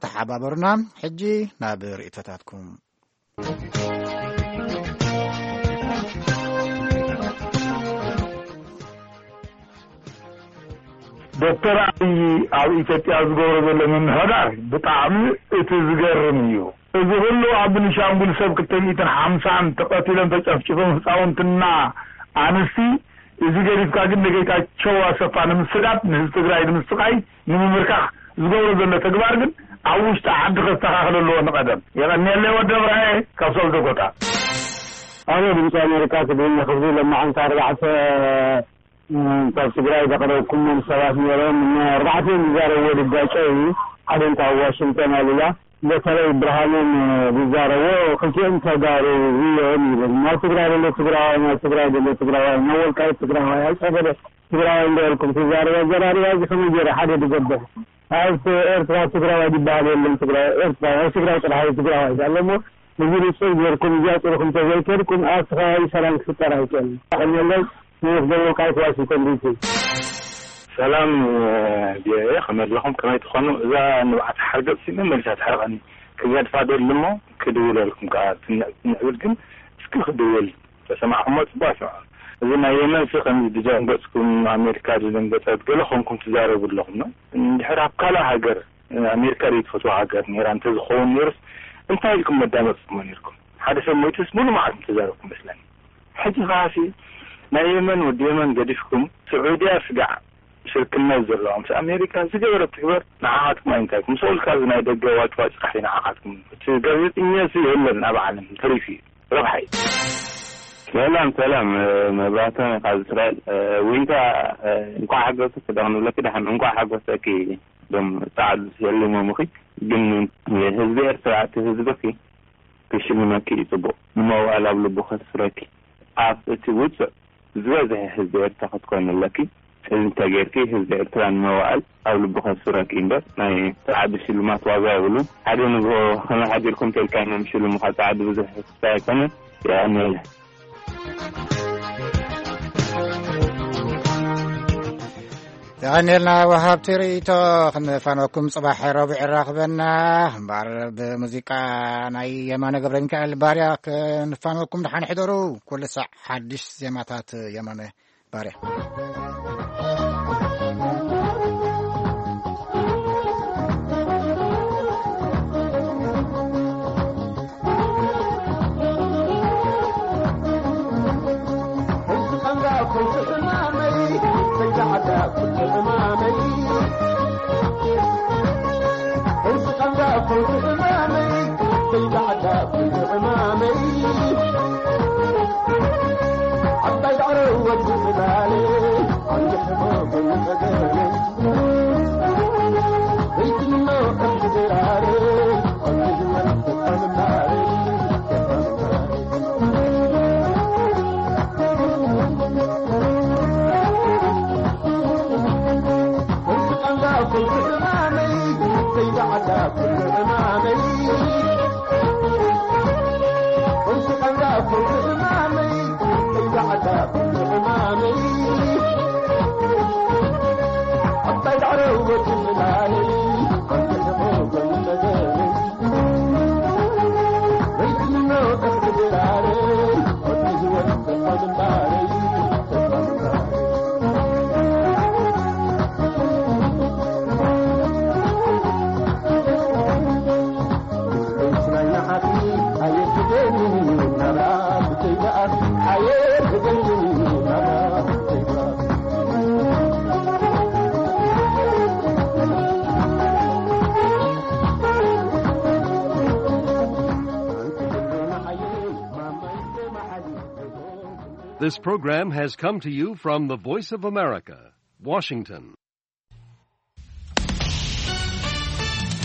ተሓባበሩና። ሕጂ ናብ ርእይቶታትኩም። ዶክተር ኣብይ ኣብ ኢትዮጵያ ዝገብሮ ዘሎ ምምሕዳር ብጣዕሚ እቲ ዝገርም እዩ። እዚ ኩሉ ኣብ ብንሻንጉል ሰብ ክልተ ሚእትን ሓምሳን ተቐቲሎም ተጨፍጭፎም ህፃውንትና ኣንስቲ፣ እዚ ገዲፍካ ግን ንጌታቸው ኣሰፋ ንምስዳድ፣ ንህዝቢ ትግራይ ንምስቃይ፣ ንምምርካኽ ዝገብሮ ዘሎ ተግባር ግን ኣብ ውሽጢ ዓዲ ከስተኻኽል ኣለዎ ንቐደም። የቐንየለይ ወዲ እብራየ ካብ ሰብዘጎታ። ኣነ ድምፂ ኣሜሪካ ትግርኛ ክፍሊ ለማዓንቲ ኣርባዕተ ካብ ትግራይ ዘቕረብኩሞም ሰባት ነይሮም። ኣርባዕቲኦም ዝዛረብዎ ድጋጨ እዩ። ሓደ እንታ ኣብ ዋሽንግተን ኣሉላ፣ በተለይ ብርሃኖም ዝዛረቦ ክልቲኦም ተጋሩ እዮም ይብል። ናብ ትግራይ ዘሎ ትግራዋይ፣ ናብ ትግራይ ዘሎ ትግራዋይ፣ ናብ ወልቃይት ትግራዋይ፣ ኣብ ጸገደ ትግራዋይ እንዳበልኩም ትዛረቡ። ኣዘራርባ እዚ ከመይ ገይሩ ሓደ ዝገብር? ኣብ ኤርትራ ትግራዋይ ዝበሃል የለን። ትግራይ ኤርትራ፣ ኣብ ትግራይ ጥራሕ እዩ ትግራዋይ ዘሎ እሞ፣ እዚ ንጹር ጌርኩም እዚኣ ጥርኹም ተዘይከድኩም ኣብቲ ከባቢ ሰላም ክፍጠር ኣይክእልን። ኣቐንየለይ። ኔፍ ደቡብ ካይት ዋሽንግተን ዲሲ። ሰላም ቪኦኤ፣ ከመይ ኣለኹም? ከመይ ትኾኑ? እዛ ንብዓት ሓርገጽ ሲ መመሊሳ ትሕርቐኒ። ክገድፋ ደሊ እሞ ክድውለልኩም ከኣ ትንዕ-፣ ትንዕብል ግን እስኪ ክድውል ተሰማዕኩሞ ጽቡቕ ኣይሰማዕኩ። እዚ ናይ የመን ሲ ከምዚ ድደንገጽኩም ኣሜሪካ ድደንገጸት ገለ ኮንኩም ትዛረቡ ኣለኹም ነው። እንድሕር ኣብ ካልእ ሃገር ኣሜሪካ ደይ ትፈትዋ ሃገር ነይራ እንተዝኸውን ነይሩስ እንታይ ኢልኩም መዳመጽኩሞ ነይርኩም? ሓደ ሰብ ሞይቱስ ሙሉ መዓልቲ ምተዛረብኩም መስለኒ። ሕጂ ከዓሲ ናይ የመን ወዲ የመን ገዲፍኩም ስዑድያ ስጋዕ ሽርክነት ዘለዋ ምስ ኣሜሪካ ዝገበረት ትግበር ንዓኻትኩም ኣይንታይኩም። ምስ በልካ እዚ ናይ ደገ ዋጭዋጭ ጥራሕ እዩ ንዓኻትኩም። እቲ ጋዜጠኛ እዚ የለን ኣብ ዓለም ተሪፉ እዩ። ረብሓ እዩ። ሰላም ሰላም፣ መብራህቶም ካብ እስራኤል። ዊንታ፣ እንኳዕ ሓጎሰ ክደቕንብለኪ ደሓን እንኳዕ ሓጎሰኪ። ዶም ጻዕዱ ሸሊሞምኺ፣ ግን ህዝቢ ኤርትራ እቲ ህዝብኺ ክሽልመኪ እዩ ጽቡቕ። ንመዋእል ኣብ ልቡ ከስፍረኪ። ኣብ እቲ ውጹዕ ዝበዝሐ ህዝቢ ኤርትራ ክትኮኒ ኣለኪ። እዚ እንተጌርኪ ህዝቢ ኤርትራ ንመዋእል ኣብ ልቡ ከስፍረኪ እምበር ናይ ጻዕዱ ሽልማት ዋጋ የብሉን። ሓደ ንግሆ ከመይ ሓዲርኩም ተልካ እዮም ሽልሙኻ። ጻዕዱ ብዙሕ ክስታይ ኣይኮነን። የቐንየለይ። የቐንየልና ወሃብቲ ርእይቶ። ክንፋነኩም ጽባሕ ረቡዕ ይራኽበና። እምበኣር ብሙዚቃ ናይ የማነ ገብረ ሚካኤል ባርያ ክንፋነኩም። ደሓን ሕደሩ። ኩሉ ሳዕ ሓድሽ ዜማታት የማነ ባርያ። This program has come to you from the Voice of America, Washington.